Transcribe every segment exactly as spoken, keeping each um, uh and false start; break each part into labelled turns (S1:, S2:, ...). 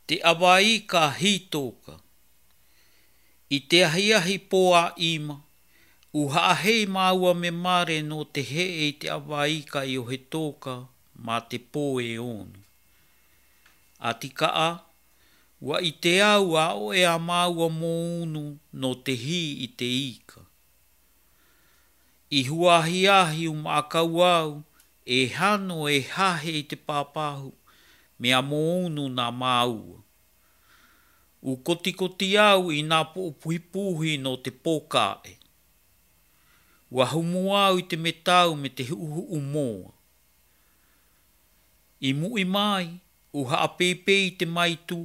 S1: Te awa ika hītōka. I te ahiahi pō a ima, u haahei māua me mare no te hee i te awa ika i o he tōka mā te pō e ono. A tika a, ua i te au a o e a māua mō unu no te hi i te ika. I huahiahi u maakau au, e hano e hahe i te pāpāhu, me a mō unu nā māua. U kotikoti au i nā puhi no te pōkae. Ua humu au i te metau me te huuhuu moa. I mui mai, u haapeipe i te maitu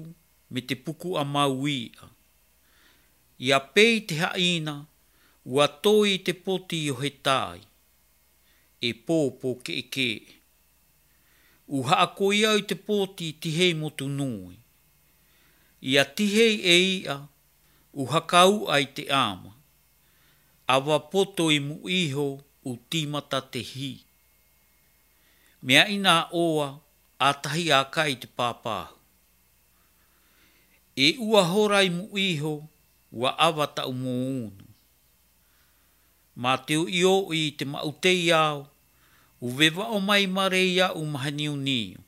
S1: me te puku a mauia. I a pei te haina, ua toi i te poti o he tai. E pōpō ke e ke. U haakoi au i te poti tihei motu nui. I a tihei e ia, u hakau ai te ama. Awa poto i mu iho u timata te hi. Mea ina oa, a tahi a kai te pāpāhu. E ua hora i mu iho, ua awa tau mō unu. Mā te ui o i te mautei au, u wewa o mai mare ia u mahani niu.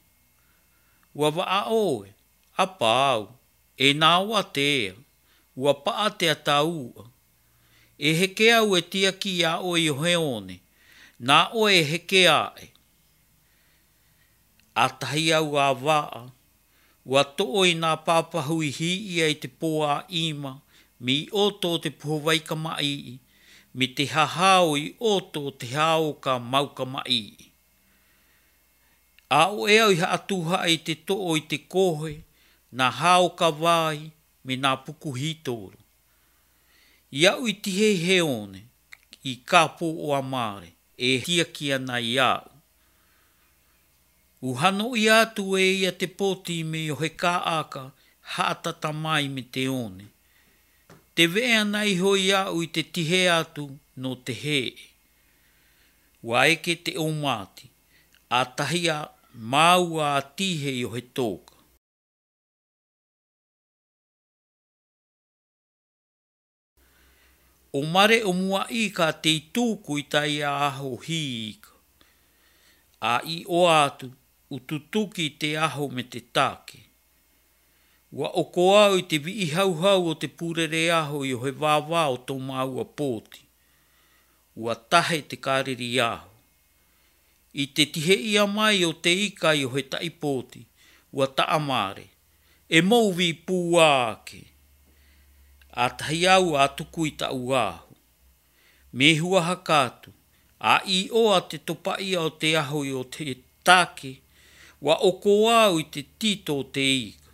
S1: Ua waa oe, a pāu, e nā oa te ea, ua paa te ataua. E heke au e tiaki a oe i o he one, nā oe e heke ae. A tahi au a waa, ua too i nā pāpahu i hi ia i te pō a ima, me i oto o te puhowaika mai, me te hahao i oto o te hao ka mauka mai. A o e au i haatuha i te too i te kohe, nā hao ka vai, me nā puku hitoro. I au i tihei he one, i kāpō o amare, e tiaki ana i au. U hano i atu e ia te poti me o he kāaka, haatata mai me te one. Te wee ana iho i au i te tihe atu no te hee. Ua eke te omati, a tahi a maua a tihe i o he tōka. O mare o mua ika te i tūku i tai a aho hi ika. A i oa atu, u tutuki te aho me te take. Ua oko au i te vii hauhau o te pūrere aho i o he wāwā o tō māua pōti. Ua tahe te kāriri aho. I te tihe ia mai o te ika i o he tai pōti, ua taamare. E mōwi pūā ake. A tahi au a tuku i tau aho. Me hua hakatu, a i oa te topaia o te aho i o te take, ua oko au i te tito o te ika.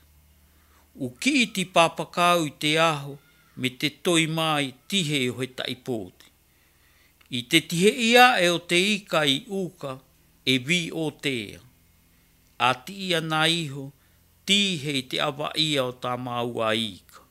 S1: U ki ti pāpakau i te aho me te toi mai tihe o he tai pōti. I te tihe ia e o te ika i uka e vi o tea. A ti ia nā iho, tihe i te awa ia o tā maua ika.